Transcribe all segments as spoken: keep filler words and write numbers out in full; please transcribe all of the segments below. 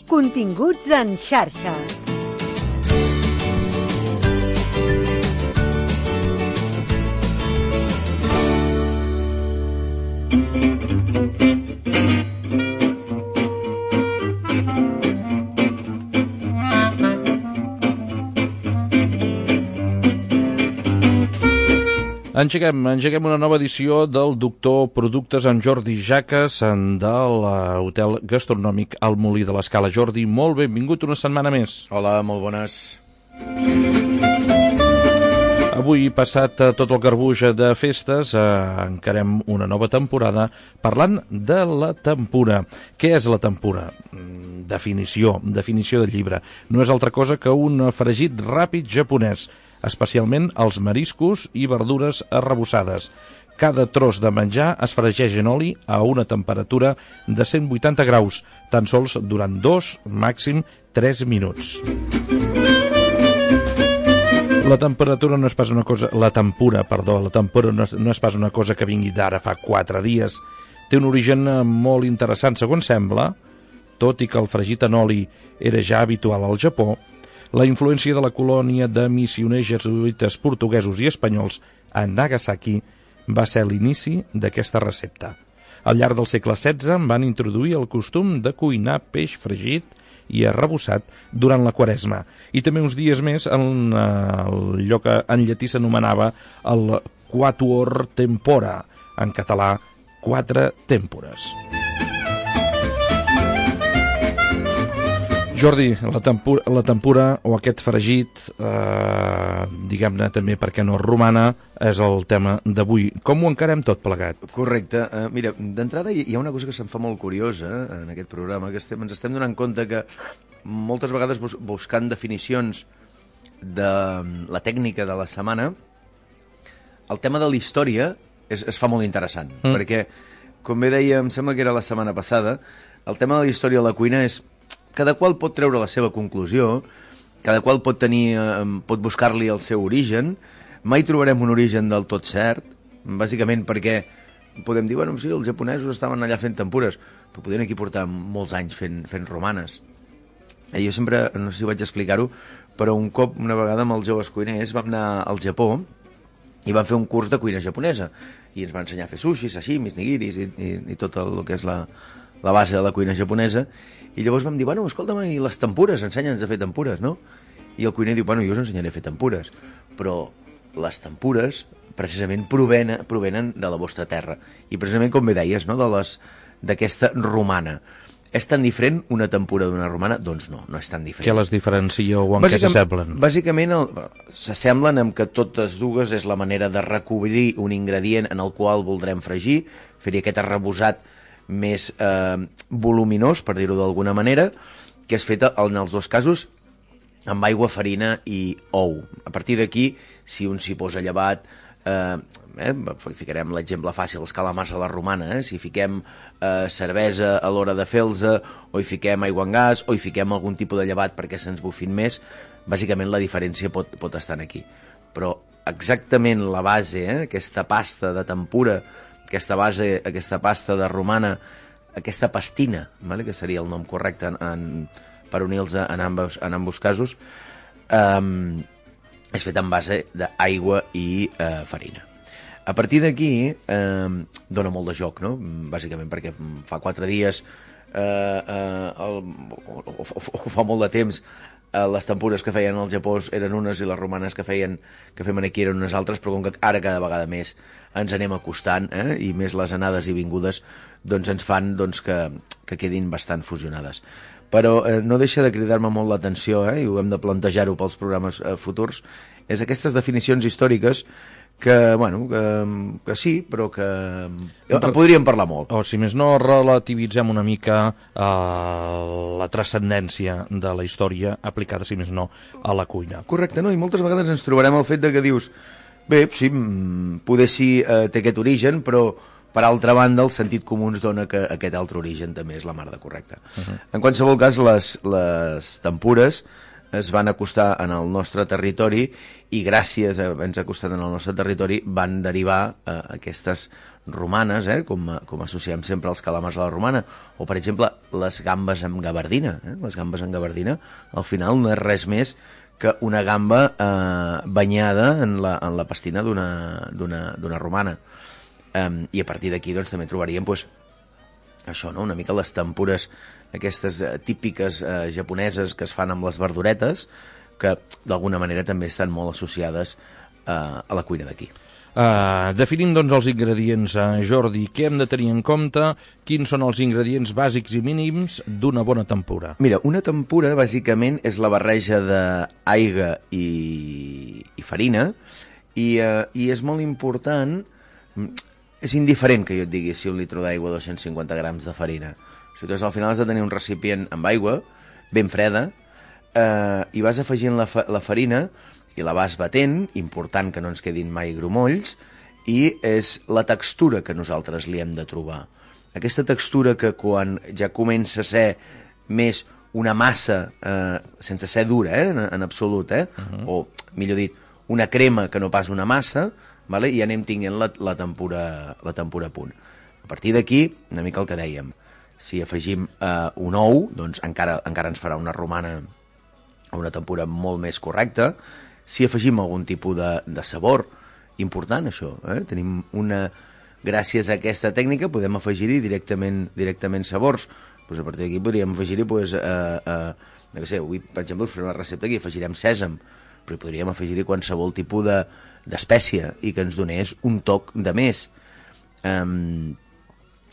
Continguts en xarxa. Engeguem, engeguem una nova edició del Doctor Productes amb Jordi Jaques de l'hotel gastronòmic El Molí de l'Escala. Jordi, molt benvingut una setmana més. Hola, molt bones. Avui, passat tot el garbuix de festes, eh, encarem una nova temporada parlant de la tempura. Què és la tempura? Definició, definició del llibre. No és altra cosa que un fregit ràpid japonès, especialment els mariscos i verdures arrebossades. Cada tros de menjar es fregeix en oli a una temperatura de cent vuitanta graus, tan sols durant dos, màxim tres minuts. La temperatura no és pas una cosa... La tempura, perdó, la tempura no és, no és pas una cosa que vingui d'ara fa quatre dies. Té un origen molt interessant, segons sembla, tot i que el fregit en oli era ja habitual al Japó. La influència de la colònia de missioners jesuïtes portuguesos i espanyols a Nagasaki va ser l'inici d'aquesta recepta. Al llarg del segle setze van introduir el costum de cuinar peix fregit i arrebossat durant la Quaresma, i també uns dies més en allò que en llatí s'anomenava el quatuor tempora, en català quatre tèmpores. Jordi, la tempura, la tempura o aquest fregit, eh, diguem-ne també perquè no romana, és el tema d'avui. Com ho encarem tot plegat? Correcte. Uh, mira, d'entrada hi ha una cosa que se'm fa molt curiosa en aquest programa, que estem, ens estem donant compte que moltes vegades bus buscant definicions de la tècnica de la setmana, el tema de la història es, es fa molt interessant, mm. perquè, com bé deia, em sembla que era la setmana passada, el tema de la història de la cuina és cada qual pot treure la seva conclusió, cada qual pot tenir, eh, pot buscar-li el seu origen. Mai trobarem un origen del tot cert, bàsicament perquè podem dir, bueno, sí, els japonesos estaven allà fent tempures, però podien aquí portar molts anys fent, fent romanes. I jo sempre, no sé si vaig explicar-ho, però un cop, una vegada amb els joves cuiners, vam anar al Japó i vam fer un curs de cuina japonesa, i ens va ensenyar a fer sushi, sashimis, nigiris, i, i, i tot el que és la, la base de la cuina japonesa. I llavors vam dir, bueno, escolta'm, i les tempures, ensenya'ns a fer tempures, no? I el cuiner diu, bueno, jo us ensenyaré a fer tempures, però les tempures precisament provenen, provenen de la vostra terra. I precisament, com bé deies, no? de les d'aquesta romana. És tan diferent una tempura d'una romana? Doncs no, no és tan diferent. Què les diferencia o en què s'assemblen? Bàsicament s'assemblen en que totes dues és la manera de recobrir un ingredient en el qual voldrem fregir, fer-hi aquest arrebossat més eh, voluminós, per dir-ho d'alguna manera, que és feta en els dos casos amb aigua, farina i ou. A partir d'aquí, si un s'hi posa llevat, eh, eh, ficarem l'exemple fàcil, els calamars a la romana, eh? Si fiquem eh, cervesa a l'hora de fer-los, o hi fiquem aigua en gas, o hi fiquem algun tipus de llevat perquè se'ns bufin més, bàsicament la diferència pot, pot estar aquí. Però exactament la base, eh, aquesta pasta de tempura, aquesta base, aquesta pasta de romana, aquesta pastina, vale? Que seria el nom correcte en, en, per unir-los en, ambos, en ambos casos, um, és fet en base d'aigua i uh, farina. A partir d'aquí eh, dona molt de joc, no? Bàsicament perquè fa quatre dies eh, eh, el, o, o, o fa molt de temps eh, les tempures que feien al Japó eren unes i les romanes que feien que fem aquí eren unes altres, però com que ara cada vegada més ens anem acostant, eh, i més les anades i vingudes doncs ens fan doncs, que, que quedin bastant fusionades. Però eh, no deixa de cridar-me molt l'atenció, eh, i ho hem de plantejar-ho pels programes eh, futurs, és aquestes definicions històriques que, bueno, que, que sí, però que en podríem parlar molt. O, si més no, relativitzem una mica eh, la transcendència de la història aplicada, si més no, a la cuina. Correcte, no? I moltes vegades ens trobarem el fet de que dius, bé, sí, poder sí eh, té aquest origen, però per altra banda el sentit comú ens dona que aquest altre origen també és la mar de correcte. Uh-huh. En qualsevol cas, les, les tempures es van acostar en el nostre territori i gràcies a haver-nos acostat en el nostre territori van derivar eh, aquestes romanes, eh, com, com associem sempre als calamars a la romana, o per exemple les gambes amb gabardina. Eh? Les gambes amb gabardina al final no és res més que una gamba eh, banyada en la, en la pastina d'una romana. Um, I a partir d'aquí doncs, també trobaríem pues, això, no? Una mica les tempures aquestes uh, típiques uh, japoneses que es fan amb les verduretes, que d'alguna manera també estan molt associades uh, a la cuina d'aquí. Uh, definim doncs els ingredients, uh, Jordi, què hem de tenir en compte, quins són els ingredients bàsics i mínims d'una bona tempura? Mira, una tempura bàsicament és la barreja d'aigua i, i farina i, uh, i és molt important. És indiferent que jo et digui si un litre d'aigua o dos-cents cinquanta grams de farina. O sigui, al final has de tenir un recipient amb aigua, ben freda, eh, i vas afegint la, fa la farina i la vas batent, important que no ens quedin mai grumolls, i és la textura que nosaltres li hem de trobar. Aquesta textura que quan ja comença a ser més una massa, eh, sense ser dura, eh, en, en absolut, eh? Uh-huh. O, millor dit, una crema que no pas una massa, vale? I anem tinguent la, la, tempura, la tempura a punt. A partir d'aquí, una mica el que dèiem, si afegim eh, un ou, doncs encara, encara ens farà una romana o una tempura molt més correcta. Si afegim algun tipus de, de sabor, important això, eh? Tenim una... Gràcies a aquesta tècnica podem afegir-hi directament, directament sabors. Pues a partir d'aquí podríem afegir-hi, pues, eh, eh, no sé, avui, per exemple, us farem una recepta que afegirem sèsam, però podríem afegir-hi qualsevol tipus de, d'espècia i que ens donés un toc de més. Um,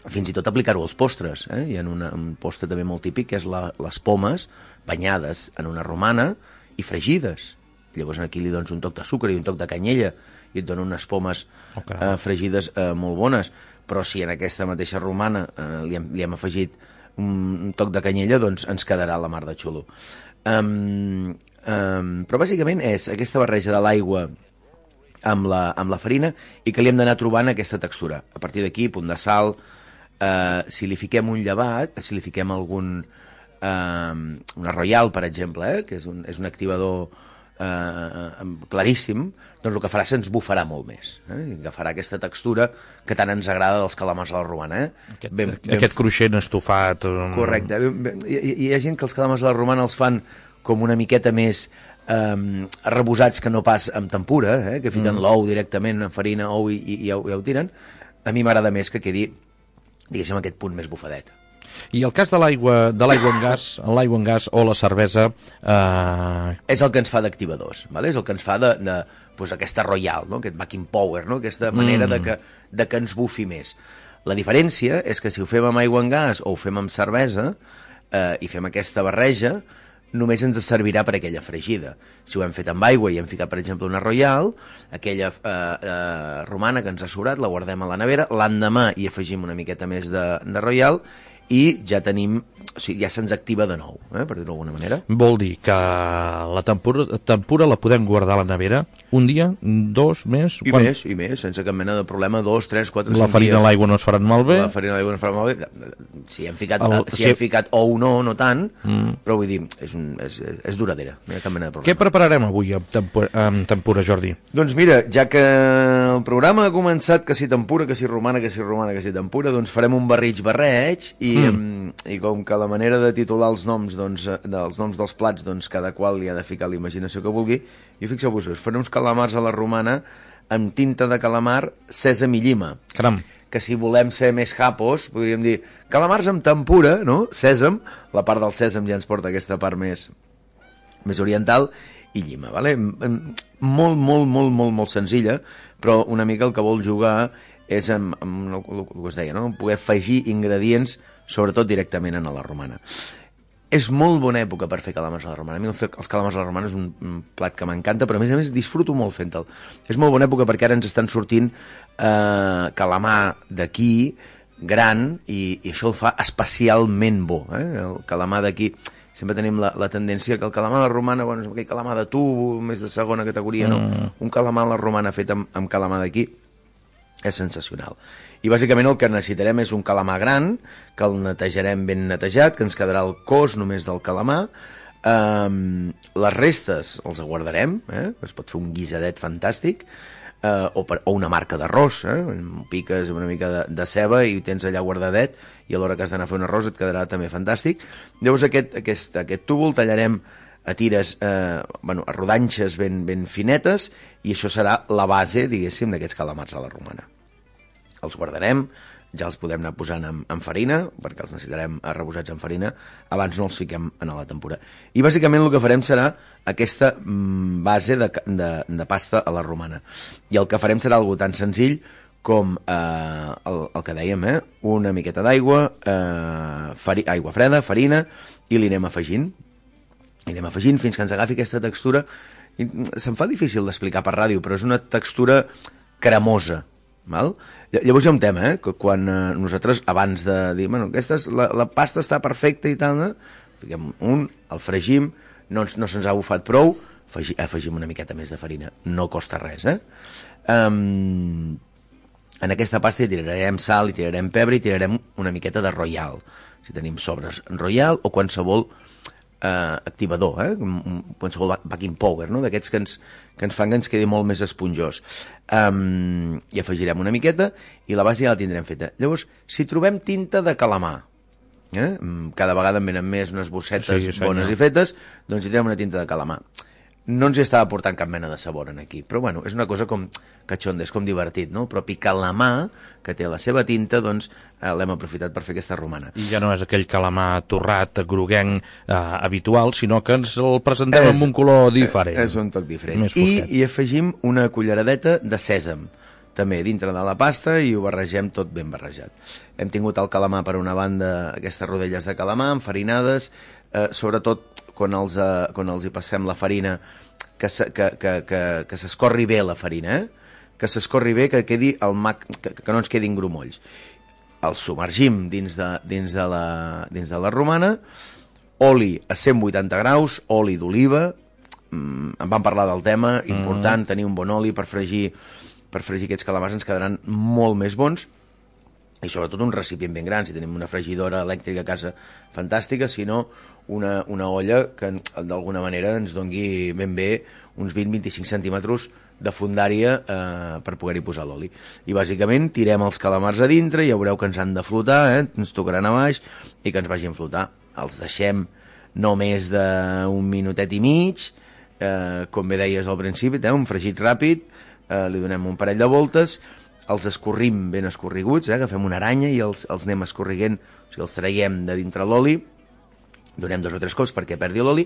fins i tot aplicar-ho als postres. Eh? Hi ha una, un postre també molt típic que és la, les pomes banyades en una romana i fregides. Llavors aquí li dones un toc de sucre i un toc de canyella i et donen unes pomes okay. eh, fregides eh, molt bones. Però si en aquesta mateixa romana eh, li, hem, li hem afegit un, un toc de canyella, doncs ens quedarà la mar de xulo. Um, um, però bàsicament és aquesta barreja de l'aigua amb la, amb la farina i que li hem d'anar trobant aquesta textura. A partir d'aquí, punt de sal, eh, si li fiquem un llevat, si li fiquem algun... Eh, una Royal, per exemple, eh, que és un, és un activador eh, claríssim, doncs el que farà se'ns bufarà molt més. Eh? I agafarà aquesta textura que tant ens agrada dels calamars a la romana. Eh? Aquest, ben, ben... aquest cruixent estofat. Correcte. Hi, hi ha gent que els calamars a la romana els fan com una miqueta més eh, arrebosats que no pas amb tempura, eh? Que fiquen mm. l'ou directament en farina, ou i, i, i ja, ja ho tiren. A mi m'agrada més que quedi, diguéssim, aquest punt més bufadet. I el cas de l'aigua de l'aigua en gas, l'aigua en gas o la cervesa... Eh... És el que ens fa d'activadors, ¿vale? És el que ens fa de, de pues, aquesta Royal, no? Aquest backing power, no? Aquesta manera mm. de, que, de que ens bufi més. La diferència és que si ho fem amb aigua en gas o ho fem amb cervesa eh, i fem aquesta barreja, només ens servirà per aquella fregida. Si ho hem fet amb aigua i hem ficat, per exemple, una Royal, aquella eh, eh, romana que ens ha sobrat, la guardem a la nevera, l'endemà hi afegim una miqueta més de, de Royal i ja tenim, o sigui, ja se'ns activa de nou, eh, per dir-ho d'alguna manera. Vol dir que la tempura, tempura la podem guardar a la nevera un dia, dos, més? I quan... més, i més, sense cap mena de problema, dos, tres, quatre, cinc dies. La farina i l'aigua no es faran malbé? La farina i l'aigua no es faran malbé. Si hem ficat, El, si si... hem ficat ou no, no tant, mm. però vull dir, és, un, és, és duradera, no hi ha cap mena de problema. Què prepararem avui amb tempura, amb tempura, Jordi? Doncs mira, ja que el programa ha començat que si tempura, que si romana, que si romana, que si tempura, doncs farem un barrig barreig i Mm. i com que la manera de titular els noms doncs, dels noms dels plats, doncs cada qual li ha de ficar la imaginació que vulgui, i fixeu-vos, faré uns calamars a la romana amb tinta de calamar, sèsam i llima. Caram. Que si volem ser més japos, podríem dir calamars amb tempura, no? Sèsam, la part del sèsam ja ens porta aquesta part més, més oriental, i llima, vale? Molt, molt, molt, molt, molt senzilla, però una mica el que vol jugar és amb, amb el que us deia, no? Poder afegir ingredients, sobretot directament a la romana. És molt bona època per fer calamars a la romana. A mi els calamars a la romana és un, un plat que m'encanta, però a més a més disfruto molt fent-te'l. És molt bona època perquè ara ens estan sortint eh, calamar d'aquí, gran, i, i això el fa especialment bo. Eh? El calamar d'aquí, sempre tenim la, la tendència que el calamar a la romana, bueno, és aquell calamar de tubo, més de segona categoria, no? Mm. Un calamar a la romana fet amb, amb calamar d'aquí és sensacional. I bàsicament el que necessitarem és un calamar gran, que el netejarem ben netejat, que ens quedarà el cos només del calamar, Um, les restes els guardarem, eh? Es pot fer un guisadet fantàstic, uh, o, per, o una marca d'arròs, eh? Piques una mica de, de ceba i tens allà guardadet, i a l'hora que has d'anar a fer un arròs et quedarà també fantàstic. Llavors aquest, aquest, aquest túvol tallarem a tires, eh, bueno, a rodanxes ben, ben finetes, i això serà la base, diguéssim, d'aquests calamars a la romana. Els guardarem, ja els podem anar posant en, en farina, perquè els necessitarem arrebossats en farina, abans no els fiquem en la tempura. I bàsicament el que farem serà aquesta mm, base de, de, de pasta a la romana. I el que farem serà algo tan senzill com eh, el, el que dèiem, eh? Una miqueta d'aigua, eh, aigua freda, farina, i li anem afegint. I anem afegint fins que ens agafi aquesta textura. I se'm fa difícil d'explicar per ràdio, però és una textura cremosa. Val? Llavors hi ha un tema, eh? Que quan eh, nosaltres, abans de dir, bueno, aquesta és, la, la pasta està perfecta i tal, eh? Fiquem un, el fregim, no, ens, no se'ns ha bufat prou, afegi, afegim una miqueta més de farina, no costa res, eh? Um, en aquesta pasta hi tirarem sal, hi tirarem pebre, hi tirarem una miqueta de Royal, si tenim sobres Royal o qualsevol eh, activador, eh? Qualsevol baking powder, no? D'aquests que ens, que ens fan que ens quedi molt més esponjós. Um, I afegirem una miqueta i la base ja la tindrem feta. Llavors, si trobem tinta de calamar, eh? Cada vegada en venen més unes bossetes sí, bones i fetes, doncs hi tindrem una tinta de calamar. No ens hi estava portant cap mena de sabor en aquí, però bueno, és una cosa com catxonda, és com divertit, no? El propi calamar, que té la seva tinta, doncs eh, l'hem aprofitat per fer aquesta romana. I ja no és aquell calamar torrat, groguenc, eh, habitual, sinó que ens el presentem és, amb un color diferent. És un toc diferent. I hi afegim una culleradeta de sèsam, també dintre de la pasta, i ho barregem tot ben barrejat. Hem tingut el calamar per una banda, aquestes rodelles de calamar enfarinades, eh, sobretot quan els, eh, quan els hi passem la farina, que, se, que, que, que, que s'escorri bé la farina, eh? Que s'escorri bé, que, quedi el mac, que, que no ens quedin grumolls. Els submergim dins de, dins de, la, dins de la romana, oli a cent vuitanta graus, oli d'oliva, mm, en vam parlar del tema, important, mm. tenir un bon oli per fregir, per fregir aquests calamars, ens quedaran molt més bons, i sobretot un recipient ben gran, si tenim una fregidora elèctrica a casa fantàstica, si no una, una olla que d'alguna manera ens dongui ben bé uns vint a vint-i-cinc centímetres de fondària eh, per poder-hi posar l'oli. I bàsicament tirem els calamars a dintre, i ja veureu que ens han de flotar, eh? Ens tocaran a baix i que ens vagin flotar. Els deixem no més d'un minutet i mig, eh, com bé deies al principi, eh? Un fregit ràpid, eh, li donem un parell de voltes, els escorrim ben escorriguts, eh? Agafem una aranya i els, els anem escorriguent, o sigui, els traiem de dintre l'oli, donem dos o tres cops perquè perdi l'oli,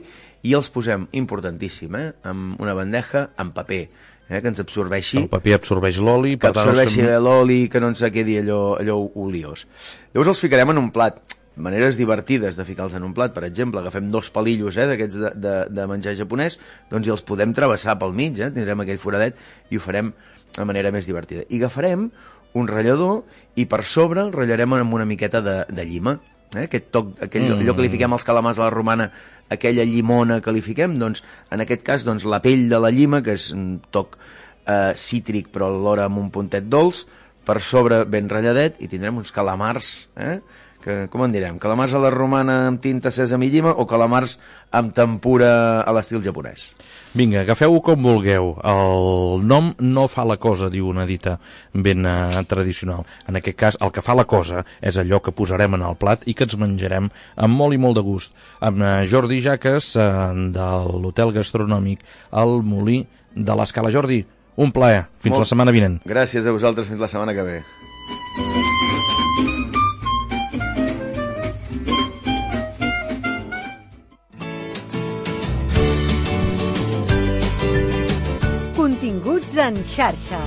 i els posem, importantíssim, eh? En una bandeja amb paper, eh? Que ens absorbeixi... El paper absorbeix l'oli... Que absorbeixi també... l'oli, que no ens quedi allò, allò oliós. Llavors els ficarem en un plat. Maneres divertides de ficar-los en un plat, per exemple, agafem dos palillos, eh, d'aquests de, de, de menjar japonès, doncs i els podem travessar pel mig, eh? Tindrem aquell foradet i ho farem de manera més divertida. I agafarem un ratllador i per sobre el ratllarem amb una miqueta de, de llima, eh? Aquest toc, aquell, mm. allò que li fiquem als calamars a la romana, aquella llimona que li fiquem, doncs en aquest cas doncs, la pell de la llima, que és un toc eh, cítric però alhora amb un puntet dolç, per sobre ben ratlladet, i tindrem uns calamars, eh? Que, com en direm, calamars a la romana amb tinta, sèsam i llima, o calamars amb tempura a l'estil japonès? Vinga, agafeu-ho com vulgueu. El nom no fa la cosa, diu una dita ben eh, tradicional. En aquest cas, el que fa la cosa és allò que posarem en el plat i que ens menjarem amb molt i molt de gust. Amb eh, Jordi Jaques, eh, de l'Hotel Gastronòmic El Molí de l'Escala. Jordi, un plaer. Fins molt... la setmana vinent. Gràcies a vosaltres. Fins la setmana que ve. Continguts en xarxa.